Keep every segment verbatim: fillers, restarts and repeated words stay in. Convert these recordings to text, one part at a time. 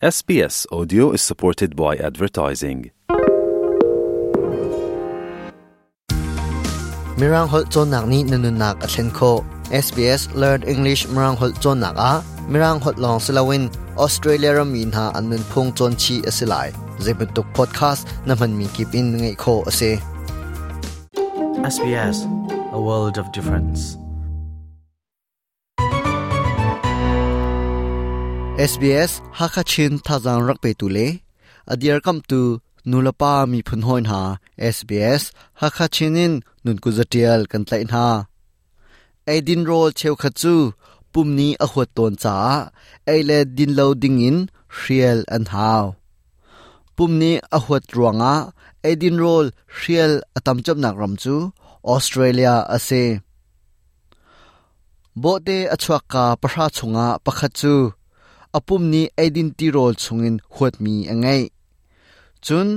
S B S Audio is supported by advertising. Mirang holh cawnnak nih na nunnak a thlen khawh. S B S Learn English Mirang holh cawnnak ah Mirang holh lawng si loin Australia rammi hna an nunphung cawn chih a si lai. Zeibantuk podcast na hmanmi kip in ngaih khawh a si. S B S, a world of difference. S B S Hakachin thazang rak pe tu le adiar kam tu nulapa mi phun hoin ha S B S Hakachin in nun ku zatial kan tlai na Aidin rol cheu khat chu pumni a huat ton cha ei le din lo ding in hrial an haw pumni a huat ruanga Aidin rol hrial atam chap nak ram chu Australia ase bo te achuak ka pahra chunga pakhat chu apum ni aidin ti rol chungin huat mi angai chun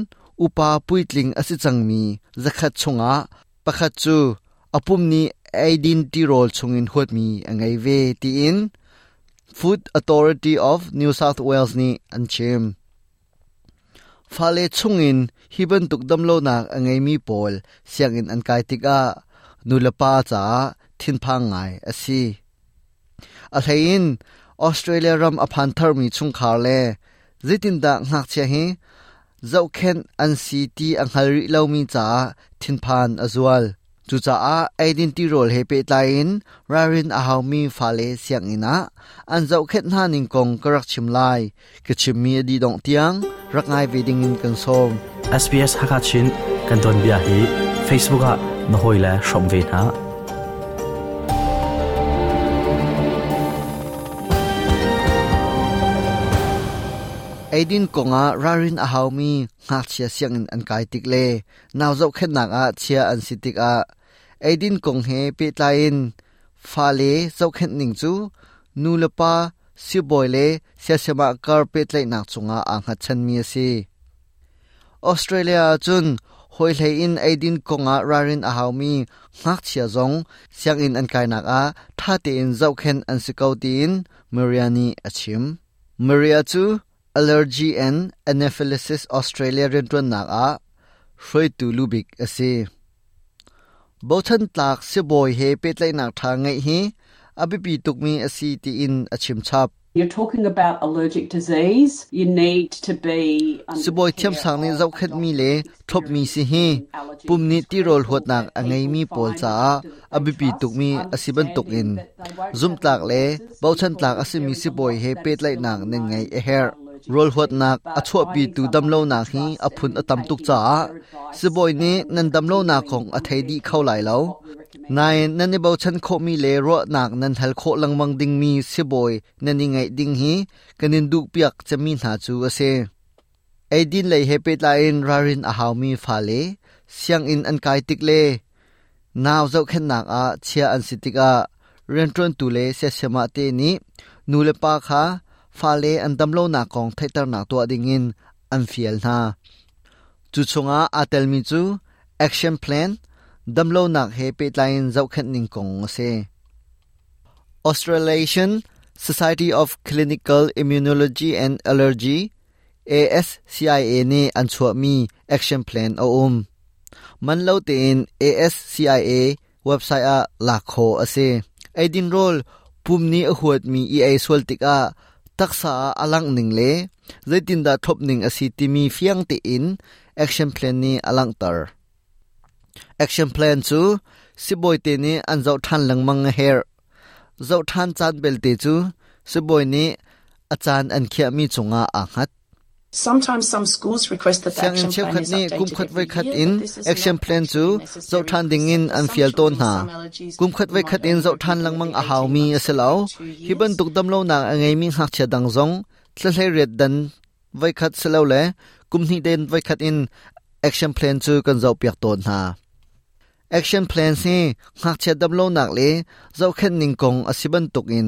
upa puitling asi changmi zakhat chunga pakhat chu apum ni aidin ti rol chungin huat mi angai ve ti in Food Authority of New South Wales ni an chim fale chungin hiban tuk damlo nak angai mi pol siangin an kai tika nulapa cha thin phang ngai asi a hlein Australia ram aphan thar mi chung khar le zitin da ngak che hi zau khen an si ti ang halri lo mi cha thin phan azual chu cha a aidin ti rol he pe tlai rarin a haw mi fale siang ina an zau khet na ning kong karak chim lai ke chim mi adi dong tiang rak ngai ve ding in kan som. S B S Hakachin kan don bia hi Facebook ah na hoi la shom ve na. Aidin konga rarin a haw mi ngak chia siang in an kai tik le naw zau khet nak a chia an sitik a aidin kong he pe tlain fa le zau khet ning chu nu le pa si boy le sia sema kar pe tlai nak chunga a nga chan mi ase Australia chun hoi hlei in aidin konga rarin a haw mi ngak chia zong siang in an kai nak a tha te in zau khen an sikau tin Mariani achim Maria chu Allergy and Anaphylaxis Australia rintuan nak a hroi tu lubik ase bothan tlak se boy he petlai nak tha ngai hi abipi tukmi asi ti in achim chap. You're talking about allergic disease. You need to be under Siboi the thiam care sang ni of zau a khat mi doctor le with thop mi si hi experience in allergies. Pum ni It's ti rol critical huat nak that angai people mi pol find cha a doctor that they abipi trust, tukmi asiban tuk in understanding that they won't zum have tlak all le answers. bauchan People tlak with asimi very si boi he lot that pet is lai still nak nen unknown ngai e her about allergic rol huat disease, nak but achua pi finding tu dam lo someone nak that you hi trust aphun and atam tuk taking cha their advice si boi ni and nan dam lo nak continuing khong a on thei their di khau lai treatment lo is what we recommend. Nai nan ni bauchan kho mi le ro nak nan hal kho langmang ding mi si boi nan ni ngai ding hi kanin duk piak chami na chu ase aidin lei he pe lain rarin a haw mi fa le siang in an kai tik le naw zau khen nak a chia an sitik a rentron tu le se sema te ni nu le pa kha fa le an damlo na kong thaitar nak to ding in an fial na chu chunga atel mi chu action plan damlo nak he pe lain zau khen ning kong ase Australasian Society of Clinical Immunology and Allergy A S C I A ni an chua mi action plan a um man lo te in A S C I A website a lakho ase aidin rol pumni a huat mi e a swal tik a taksa alang ning le zaitin da thop ning asi ti mi fiang te in action plan ni alang tar action plan chu siboi te ni an zau than langmang her zau than chan bel te chu siboi ni achan an khia mi chunga a khat. Sometimes some schools request that the Siang in action cheu plan khat is ni updated kum khat every vai khat year, in but this is action not plan chu actually necessary zau than ding in for an some fial ton children na with some allergies. Kum khat We vai might khat in only zau review than them langmang every a haw eighteen mi months aselo or every two hiban years. tuk dam lo na angai mi hak cha dang zong thlai ret dan vai khat selo le kum ni den vai khat in action plan chu kan zau piak ton na action plan si hak cha dam lo nak le zau khen ning kong asiban tuk in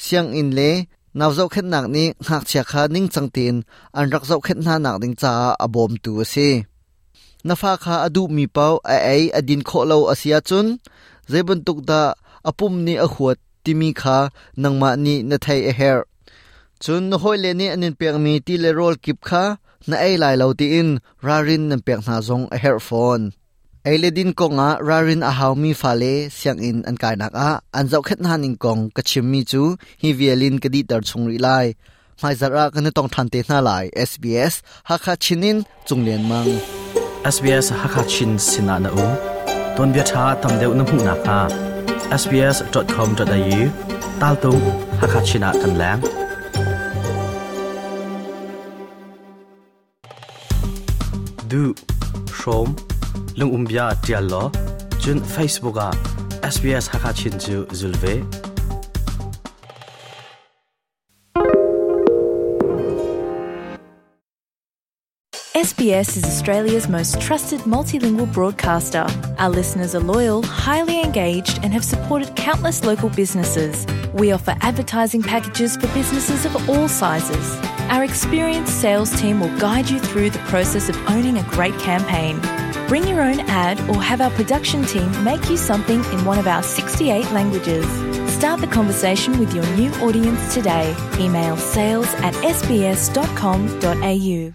siang in le naw zau khen nak ni hak chia kha ning chang tin an rak zau khen na nak ding cha abom tu ase nafa kha adu mi pau a ai adin kho lo asia chun zebun tuk da apum ni a huat timi kha nangma ni na thai a her Cun na hawi le nih an in pekmi ti le rawl kip kha na ei lai lo tiin ralrin nan pek hna zong a herh fawn. Ei le din kongah ralrin a haumi fale sianginn an kainak ah an zohkhenh hna ning kong ka chimmi cu hi vialin ka dihter chung rih lai. Hmaizarh ah kan i tong ṭhan te hna lai. SBS Hakha Chin in Cung Lian Mang. SBS Hakachin Sinah na um ton bia tha tam deuh na hmuh nak hnga sbs.com.au tal tu Hakachina kan lang du hrom lung umbia tial lo chun Facebook a SBS Hakachin chu zulve SBS is Australia's most trusted multilingual broadcaster. Our listeners are loyal, highly engaged, and have supported countless local businesses. We offer advertising packages for businesses of all sizes. Our experienced sales team will guide you through the process of owning a great campaign. Bring your own ad or have our production team make you something in one of our sixty-eight languages. Start the conversation with your new audience today. Email sales at s b s dot com dot a u.